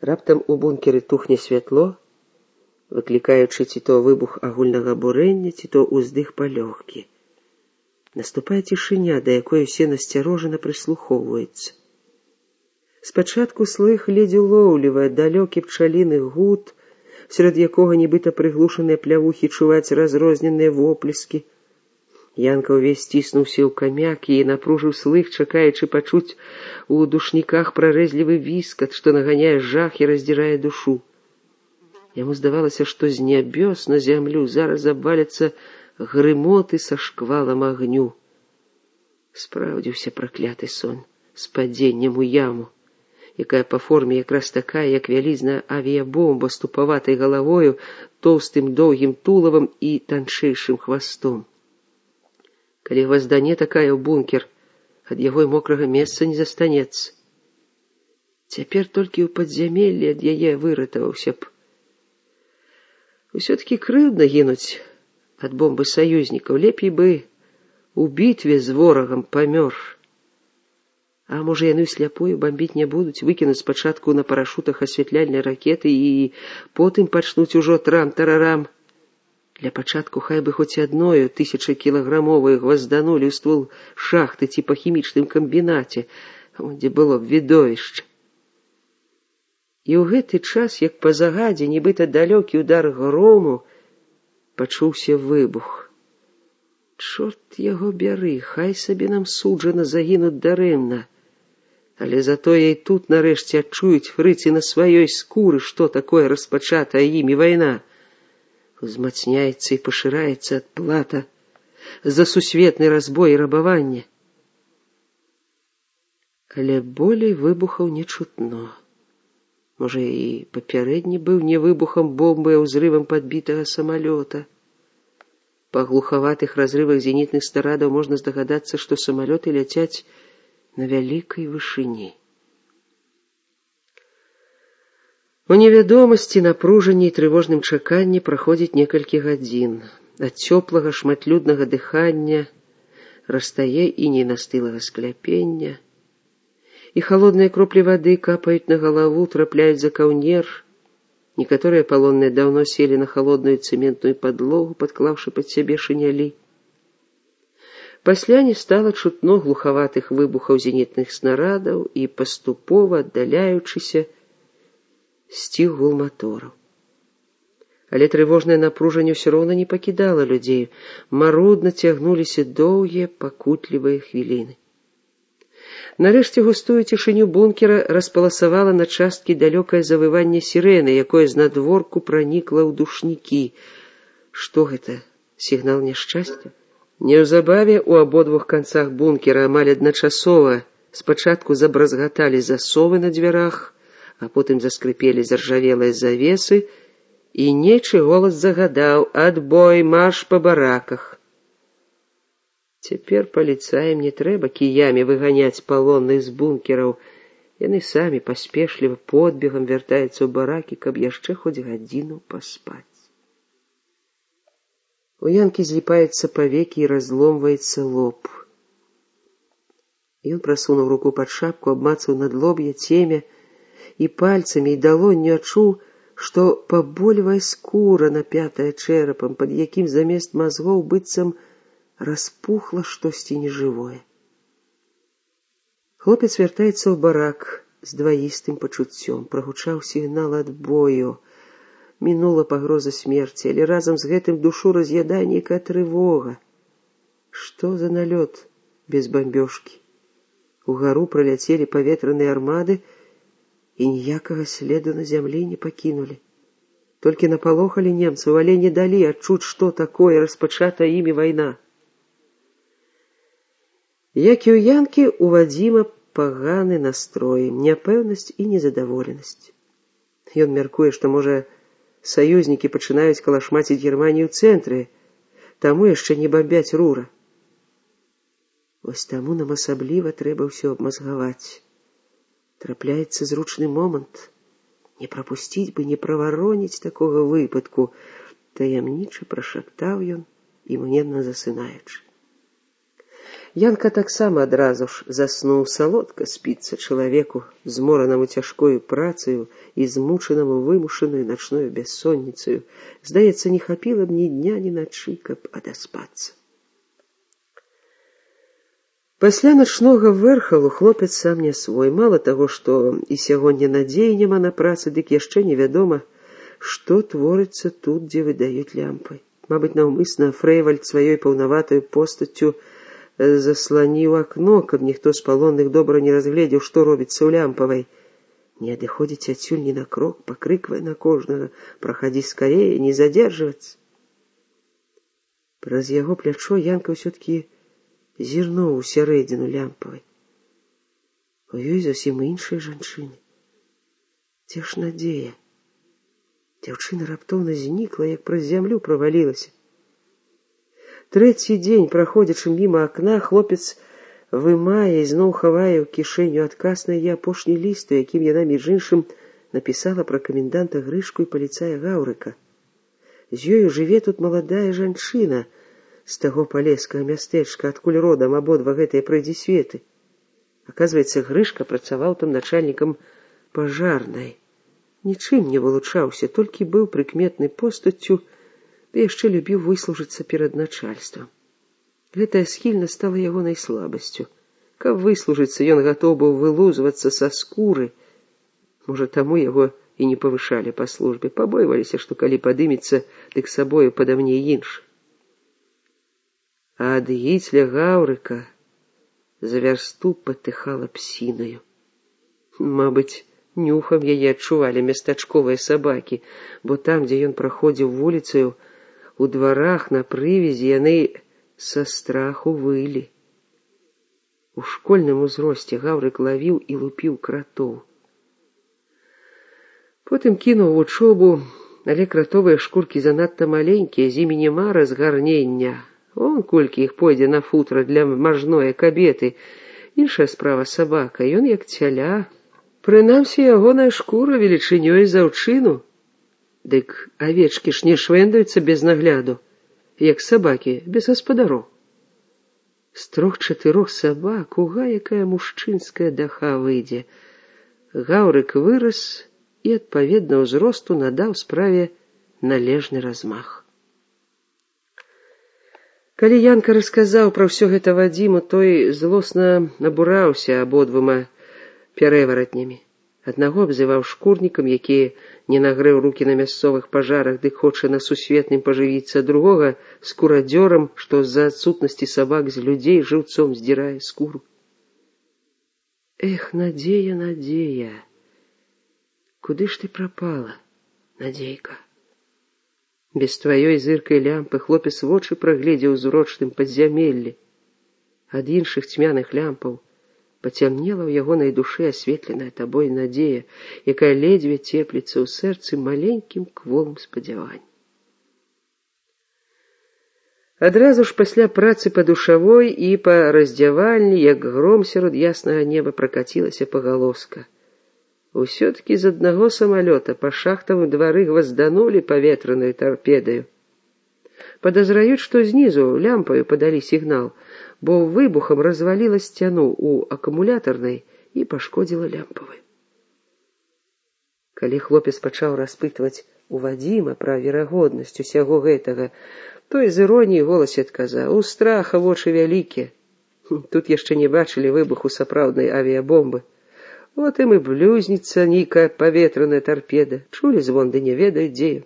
Раптам у бункеры тухне святло, выклікаючы ці то выбух агульнага бурэння, ці то ўздых палёгкі. Наступае цішыня, да якой усе насцярожана прыслухоўваюцца. Спачатку слых ледзь улоўлівае далёкі пчаліны гуд, сярод якога нібыта прыглушаныя плявухі чуваць разрозненыя воплескі. Янка ўвесь сціснуўся ў камяк і напружыў слых, чакаючы пачуць у душніках прарэзлівы віскат, што наганяе жах і раздзірае душу. Яму здавалася, што з нябёс на зямлю зараз абваляцца грымоты са шквалам агню. Спраўдзіўся пракляты сон з падзеннем у яму, якая па форме якраз такая, як вялізная авіябомба з тупаватай галавою, тоўстым доўгім тулавам і танчэйшым хвастом. Калі гваздане такая ў бункер, ад яго і мокрага месца не застанецца. Цяпер толькі ў падзямеллі ад яе выратаваўся б. Усё-таки крыўдна гінуць ад бомбы саюзнікаў, лепей бы у бітве з ворагам памёр. А можа, яны сляпую бомбіць не будуць, выкінуць спачатку на парашутах асвятляльныя ракеты і потым пачнуць ужо трам-тарарам. Для пачатку хай бы хоць адною 1000-кілаграмовую гвазданулі ў ствол шахты ці па хімічным камбінаце, дзе было б відовішча. І ў гэты час, як па загадзе, нібыта далёкі ўдар грому, пачуўся выбух. Чорт яго бяры, хай сабе нам суджана загінуць дарэмна. Але затое і тут нарэшце адчуюць фрыцы на сваёй скуры, што такое распачатая імі вайна. Узмацняецца і пашыраецца адплата за сусветны разбой і рабаванне. Але болей выбухаў не чутно. Можа, і папярэдні быў не выбухам бомбы, а ўзрывам падбітага самалёта. Па глухаватых разрывах зенітных снарядаў можна здагадацца, што самалёты ляцяць на вялікай вышыні. У невядомасці, напружанні і трывожным чаканні праходзіць некалькі гадзін. Ад цёплага шматлюднага дыхання растае іней настылага скляпення, і халодныя кроплі вады капаюць на галаву, трапляюць за каўнер. Некаторыя палонныя даўно селі на халодную цэментную падлогу, падклаўшы пад сябе шынялі. Пасля не стала чутно глухаватых выбухаў зенітных снарядаў і, паступова аддаляючыся, сціх гул матораў. Але трывожнае напружанне ўсё роўна не пакідала людзей. Марудна цягнуліся доўгія, пакутлівыя хвіліны. Нарэшце густую цішыню бункера распаласавала на часткі далёкае завыванне сірэны, якое знадворку пранікла ў душнікі. Што гэта? Сігнал няшчасця? Неўзабаве у абодвух канцах бункера амаль адначасова спачатку забразгаталі засовы на дзвярах, а потым заскрыпелі заржавелыя завесы, і нечы голас загадаў: «Адбой, марш па бараках». Цяпер паліцаям не трэба кіямі выганяць палонных з бункераў. Яны самі паспешліва подбегам вяртаюцца ў баракі, каб яшчэ хоць гадзіну паспаць. У Янкі зліпаюцца павекі і разломваецца лоб. Ён прасунуў руку пад шапку, абмацаў надлоб'я, цемя, і пальцамі і далонню адчуў, што пабольвае скура, напятая чэрапам, пад якім замест мазгоў быццам распухла штосьці нежывое. Хлопец вяртаецца ў барак з дваістым пачуццём. Прагучаў сігнал адбою. Мінула пагроза смерці, але разам з гэтым душу раз'ядае нейкая трывога. Што за налёт без бамбёжкі? Угару праляцелі паветраныя армады і ніякага следу на зямлі не пакінулі. Толькі напалохалі немцаў, але не далі адчуць, што такое распачатая імі вайна. Як і ў Янкі, у Вадзіма паганы настрой, няпэўнасць і незадаволенасць. Ён мяркуе, што, можа, саюзнікі пачынаюць калашмаціць Германію ў цэнтры, таму яшчэ не бамбяць Рура. Вось таму нам асабліва трэба ўсё абмазгаваць. Трапляецца зручны момант. Не прапусціць бы, не правароніць такога выпадку, таямніча прашаптаў ён, імгненна засынаючы. Янка таксама адразу ж заснуў. Салодка спіцца чалавеку, зморанаму цяжкою працаю і змучанаму вымушаною начною бессонніцаю. Здаецца, не хапіла б ні дня, ні начы, каб адаспацца. Пасля начнога вэрхалу хлопец сам не свой. Мала таго, што і сягоння надзеі няма на працы, дык яшчэ невядома, што творыцца тут, дзе выдаюць лямпы. Мабыць, наўмысна Фрэйвальд сваёй паўнаватаю постаццю засланіў акно, каб ніхто з палонных добра не разгледзеў, што робіцца ў лямпавай. Не адыходзіць адсюль ні на крок, пакрыквае на кожнага: «Прахадзі скарее, не задзержвацца». Праз яго плячо Янка ўсё-ткі зірнуў у сярэдзіну лямпавай. У ёй зусім іншыя жанчыны. Дзе ж надзея? Дзяўчына раптоўна знікла, як праз зямлю правалілася. Трэці дзень, праходзячы міма акна, хлопец вымае і зноў хавае ў кішэню адказ на яе апошні ліст, у якім яна, між іншым, напісала пра каменданта Грышку і паліцая Гаўрыка. З ёю жыве тут маладая жанчына з таго палескага мястэчка, адкуль родам абодва гэтыя прыйдзісветы. Аказваецца, Грышка працаваў там начальнікам пажарнай. Нічым не вылучаўся, толькі быў прыкметнай постаццю, ды яшчэ любіў выслужыцца перад начальствам. Гэтая схільнасць стала ягонай слабасцю. Каб выслужыцца, ён гатоў быў вылузвацца са скуры. Можа, таму яго і не павышалі па службе. Пабойваліся, што калі падымецца, дык сабою падамне інш. А ад гіцля Гаўрыка за вярсту патыхала псінаю. Мабыць, нюхам яе адчувалі местачковыя сабакі, бо там, дзе ён праходзіў вуліцаю, у дварах на прывязі яны са страху вылі. У школьным узросце Гаўрык лавіў і лупіў кратоў. Потым кінуў вучобу, але кратовыя шкуркі занадта маленькія, з імі няма разгарнення. Он колькі іх пойдзе на футра для мажное кабеты. Іншая справа сабака, ён як цяля. Прынамсі, ягоная шкура велічынёй з аўчыну. Дык авечкі ж не швэндаюцца без нагляду, як сабакі без гаспадароў. З 3-4 сабак уга якая мужчынская даха выйдзе. Гаўрык вырас і, адпаведна ўзросту, надаў справе належны размах. Калі Янка расказаў пра ўсё гэта Вадзіму, той злосна абураўся абодвума пярэваратнямі. Аднаго абзываў шкурнікам, які не нагрэў рукі на мясцовых пажарах, дык хоча на сусветным пажывіцца, другога скурадзёрам, што з-за адсутнасці сабак з людзей жыўцом здзірае скуру. Эх, надзея, надзея! Куды ж ты прапала, надзейка? Без тваёй зыркай лямпы хлопец вочы прагледзеў у зурочным падзямеллі. Ад іншых цьмяных лямпаў пацямнела ў ягонай душы асветленая табой надзея, якая ледзьве цепліцца ў сэрцы маленькім кволым спадзяваннем. Адразу ж пасля працы па душавой і па раздзявальні, як гром сярод яснага неба, пракацілася пагалоска. Усё-ткі з аднаго самалёта па шахтавым двары гвазданулі паветранай тарпедаю. Падазраюць, што знізу лямпаю падалі сігнал, бо выбухам разваліла сцяну ў акумулятарнай і пашкодзіла лямпавай. Калі хлопец пачаў распытваць у Вадзіма пра верагоднасць усяго гэтага, той з іроніяй голасе адказаў: «У страха вочы вялікія. Тут яшчэ не бачылі выбуху сапраўднай авіябомбы. Вот ім і блюзніцца нейкая паветраная тарпеда. Чулі звон, ды не ведаюць, дзе.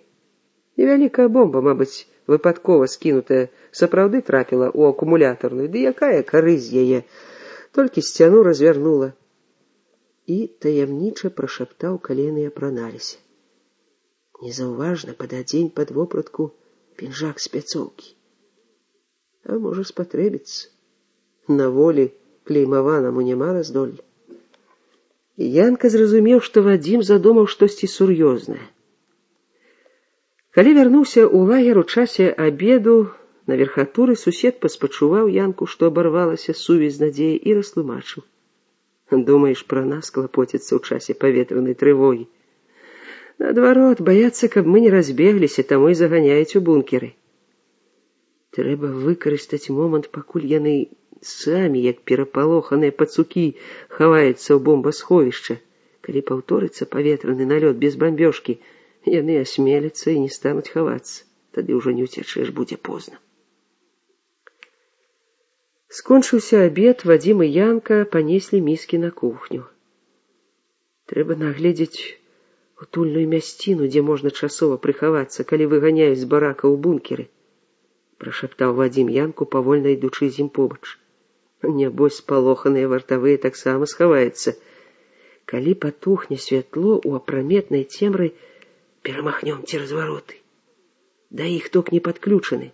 Невялікая бомба, мабыць, выпадкова скінутая, сапраўды трапіла ў акумулятарную, ды якая карысць яе, толькі сцяну развярнула». І таямніча прашаптаў, калі яны апраналіся: «Незаўважна пададзень пад вопратку пінжак з пляцоўкі. А можа спатрэбіцца. На волі клеймаванаму няма раздолля». Янка зразумеў, што Вадзім задумаў штосьці сур'ёзнае. Калі вярнуўся ў лагер у часе абеду, на верхатуры сусед паспачуваў Янку, што абарвалася сувязь з надзеяй, і растлумачыў: «Думаеш, пра нас клапоціцца ў часе паветранай трывогі? Наадварот, баяцца, каб мы не разбегліся, таму і заганяюць у бункеры. Трэба выкарыстаць момант, пакуль яны самі, як перапалоханыя пацукі, хаваюцца ў бомбасховішча. Калі паўторыцца паветраны налёт без бамбёжкі, яны асмеляцца і не стануць хавацца. Тады ўжо не ўцячэш, будзе позна. Скончыўся абед, Вадзім і Янка панеслі міскі на кухню. Трэба нагледзець утульную мясціну, дзе можна часова прыхавацца, калі выганяюць з барака ў бункеры, прашаптаў Вадзім Янку, павольна ідучы з ім побач. Нябось спалоханыя вартавыя таксама схаваюцца. Калі патухне святло, у апраметнай цемры перамахнём цераз вароты. Да іх ток не падключаны.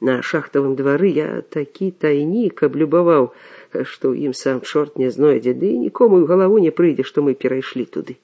На шахтавым двары я такі тайнік аблюбаваў, што ў ім сам чорт не знойдзе, ды нікому ў галаву не прыйдзе, што мы перайшлі туды.